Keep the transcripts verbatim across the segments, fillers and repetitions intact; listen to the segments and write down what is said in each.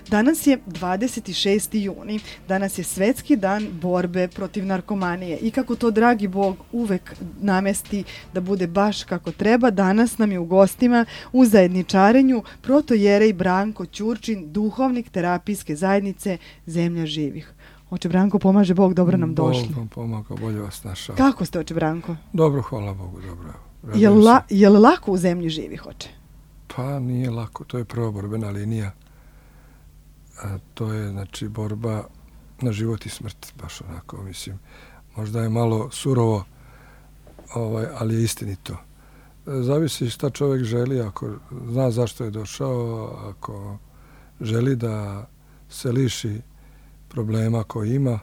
Danas je dvadeset šesti juni, danas je Svetski dan borbe protiv narkomanije i kako to dragi Bog uvek namesti da bude baš kako treba, danas nam je u gostima u zajedničarenju protojerej Branko Ćurčin, duhovnik terapijske zajednice Zemlja živih. Oče Branko, pomaže Bog, dobro nam došli. Bog vam pomaga, bolje vas našao. Kako ste, oče Branko? Dobro, hvala Bogu, dobro. Je li la, je li lako u Zemlji živih, oče? Pa nije lako, to je prva borbena linija. A to je, znači, borba na život i smrt, baš onako, mislim. Možda je malo surovo, ovaj, ali je istinito. Zavisi šta čovjek želi, ako zna zašto je došao, ako želi da se liši problema koje ima,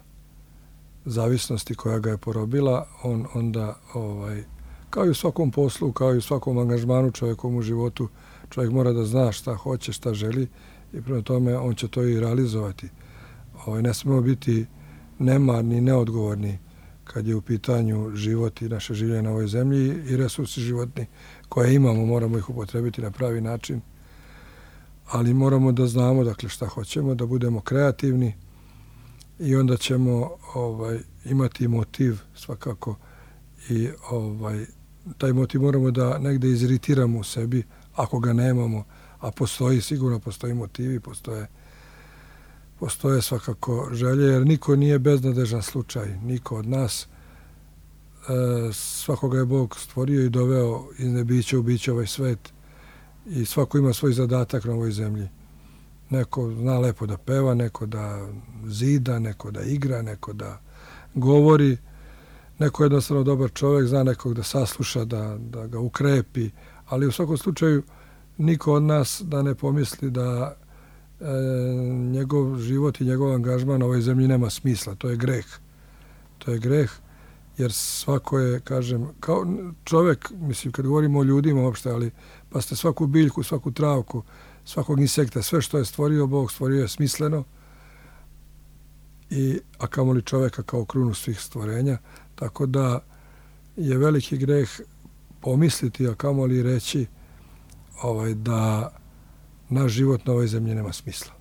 zavisnosti koja ga je porobila, on onda, ovaj, kao i u svakom poslu, kao i u svakom angažmanu čovjekom u životu, čovjek mora da zna šta hoće, šta želi i prema tome on će to i realizovati. Ovaj, ne smemo biti nemarni, neodgovorni kad je u pitanju život i naše življenje na ovoj zemlji i resursi životni koje imamo, moramo ih upotrebiti na pravi način. Ali moramo da znamo, dakle, šta hoćemo, da budemo kreativni i onda ćemo ovaj, imati motiv svakako i ovaj, taj motiv moramo da negde iziritiramo u sebi ako ga nemamo, a postoji, sigurno postoji motivi, postoje, postoje svakako želje, jer niko nije beznadežan slučaj, niko od nas. E, svakoga je Bog stvorio i doveo iz nebića u biće ovaj svet i svako ima svoj zadatak na ovoj zemlji. Neko zna lepo da peva, neko da zida, neko da igra, neko da govori, neko je jednostavno dobar čovjek, zna nekog da sasluša, da, da ga ukrepi, ali u svakom slučaju niko od nas da ne pomisli da e, njegov život i njegov angažman na ovoj zemlji nema smisla. To je greh. To je greh, jer svako je, kažem, kao čovjek, mislim, kad govorimo o ljudima uopšte, ali pa ste svaku biljku, svaku travku, svakog insekta, sve što je stvorio Bog, stvorio je smisleno, i, a kamoli čovjeka kao krunu svih stvorenja. Tako da je veliki greh pomisliti, a kamoli reći ovaj, da naš život na ovoj zemlji nema smisla.